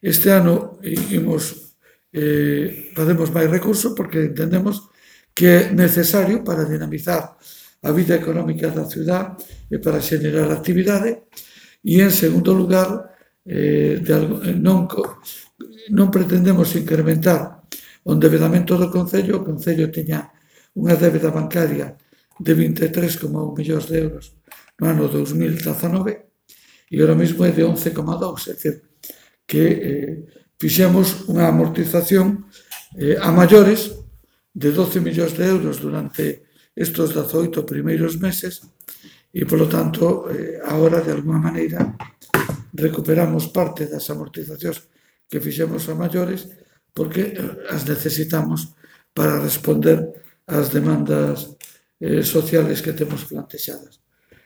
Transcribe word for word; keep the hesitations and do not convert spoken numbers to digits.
Este ano imos, eh, facemos máis recursos porque entendemos que é necesario para dinamizar a vida económica da ciudad e para xenerar actividade. E, en segundo lugar, eh, de algo, non, non pretendemos incrementar o endeudamento do Concello. O Concello teña unha débeda bancaria de vinte e tres coma un millóns de euros no ano dos mil dezanove e ahora mesmo é de once coma dous, é dicir, que eh, fixemos unha amortización eh, a maiores de doce millóns de euros durante estes dezoito primeiros meses e, polo tanto, eh, agora, de alguma maneira, recuperamos parte das amortizacións que fixemos a maiores porque as necesitamos para responder ás demandas eh, sociales que temos plantexadas.